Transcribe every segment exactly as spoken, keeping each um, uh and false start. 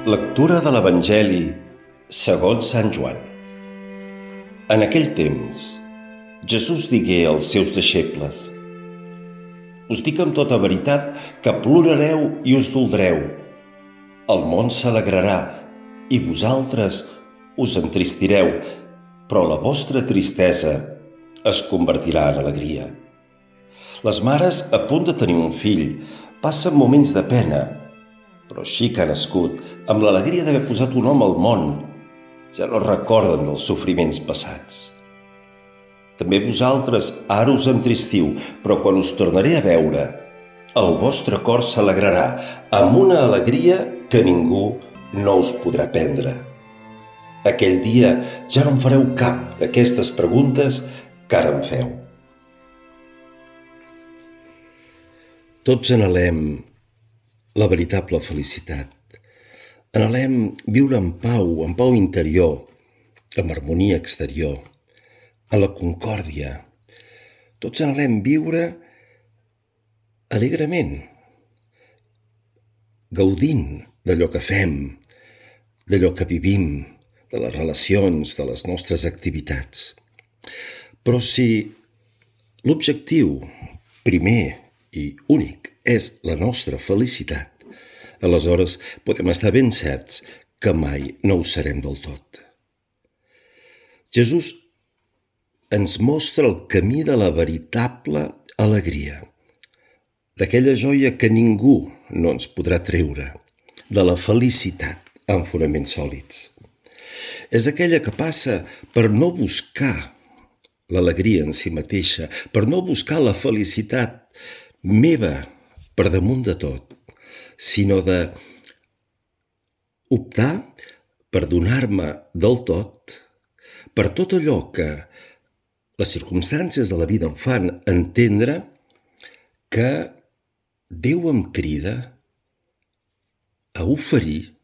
Lectura de l'Evangeli segons Sant Joan. En aquell temps, Jesús digué als seus deixebles: Us dic amb tota veritat que plorareu i us doldreu. El món s'alegrarà i vosaltres us entristireu, però la vostra tristesa es convertirà en alegria. Les mares, a punt de tenir un fill, passen moments de pena, però així que ha nascut, amb l'alegria d'haver posat un home al món, ja no recorden dels sofriments passats. També vosaltres ara us entristiu, però quan us tornaré a veure, el vostre cor s'alegrarà amb una alegria que ningú no us podrà prendre. Aquell dia ja no em fareu cap d'aquestes preguntes que ara em feu. Tots anhelem la veritable felicitat. Anhelem viure en pau, en pau interior, amb harmonia exterior, a la concòrdia. Tots anhelem viure alegrement, gaudint d'allò que fem, d'allò que vivim, de les relacions, de les nostres activitats. Però si l'objectiu primer i únic és la nostra felicitat, aleshores podem estar ben certs que mai no ho serem del tot. Jesús ens mostra el camí de la veritable alegria, d'aquella joia que ningú no ens podrà treure, de la felicitat amb fonaments sòlids. És aquella que passa per no buscar l'alegria en si mateixa, per no buscar la felicitat meva per damunt de tot, sinó de optar per donar-me del tot per tot allò que les circumstàncies de la vida em fan entendre que Déu em crida a oferir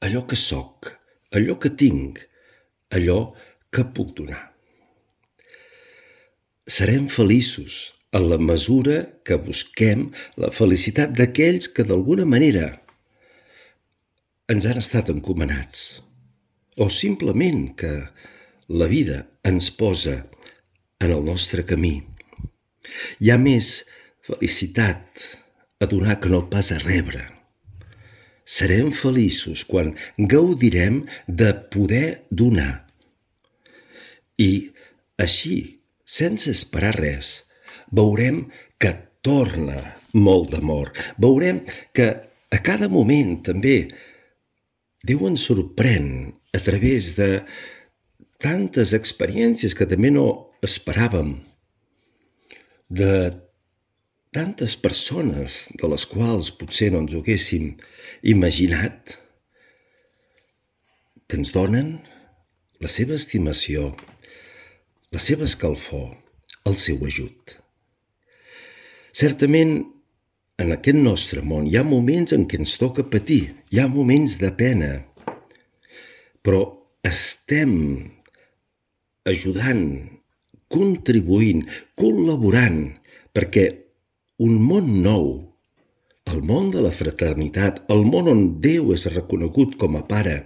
allò que soc, allò que tinc, allò que puc donar. Serem feliços en la mesura que busquem la felicitat d'aquells que d'alguna manera ens han estat encomanats, o simplement que la vida ens posa en el nostre camí. Hi ha més felicitat a donar que no pas a rebre. Serem feliços quan gaudirem de poder donar. I així, sense esperar res, veurem que torna molt d'amor. Veurem que a cada moment també Déu ens sorprèn a través de tantes experiències que també no esperàvem, de tantes persones de les quals potser no ens ho haguéssim imaginat, que ens donen la seva estimació, la seva escalfor, el seu ajut. Certament, en aquest nostre món hi ha moments en què ens toca patir, hi ha moments de pena, però estem ajudant, contribuint, col·laborant perquè un món nou, el món de la fraternitat, el món on Déu és reconegut com a Pare,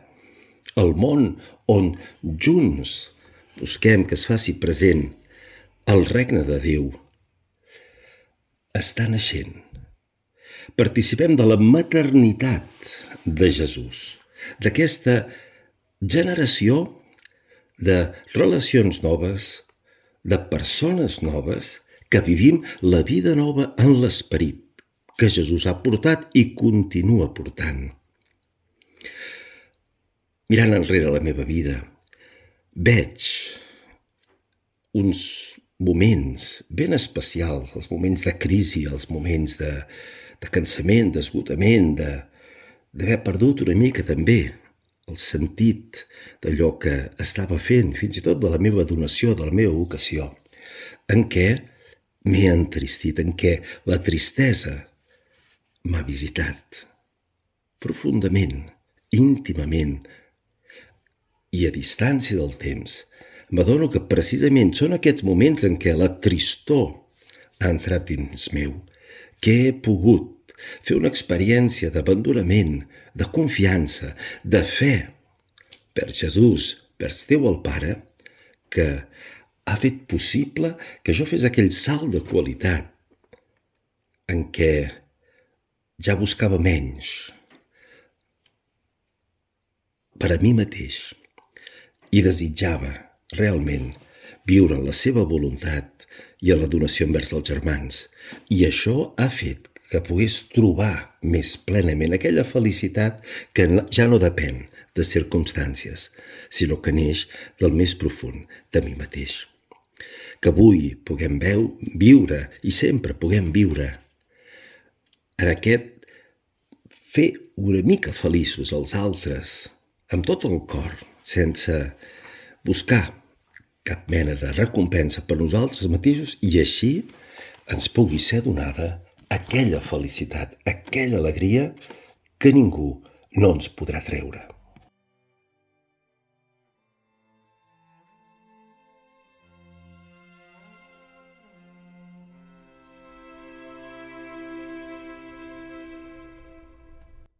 el món on junts busquem que es faci present el regne de Déu, està naixent. Participem de la maternitat de Jesús, d'aquesta generació de relacions noves, de persones noves, que vivim la vida nova en l'esperit que Jesús ha portat i continua portant. Mirant enrere la meva vida, veig uns moments ben especials, els moments de crisi, els moments de, de cansament, d'esgotament, de, d'haver perdut una mica també el sentit d'allò que estava fent, fins i tot de la meva donació, de la meva vocació, en què m'he entristit, en què la tristesa m'ha visitat profundament, íntimament, i a distància del temps, m'adono que precisament són aquests moments en què la tristor ha entrat dins meu, que he pogut fer una experiència d'abandonament, de confiança, de fe per Jesús, per Déu el Pare, que ha fet possible que jo fes aquell salt de qualitat en què ja buscava menys per a mi mateix i desitjava realment viure en la seva voluntat i en la donació envers els germans. I això ha fet que pogués trobar més plenament aquella felicitat que ja no depèn de circumstàncies, sinó que neix del més profund de mi mateix. Que avui puguem veu, viure i sempre puguem viure en aquest fer una mica feliços els altres amb tot el cor, sense buscar cap mena de recompensa per nosaltres mateixos, i així ens pugui ser donada aquella felicitat, aquella alegria que ningú no ens podrà treure.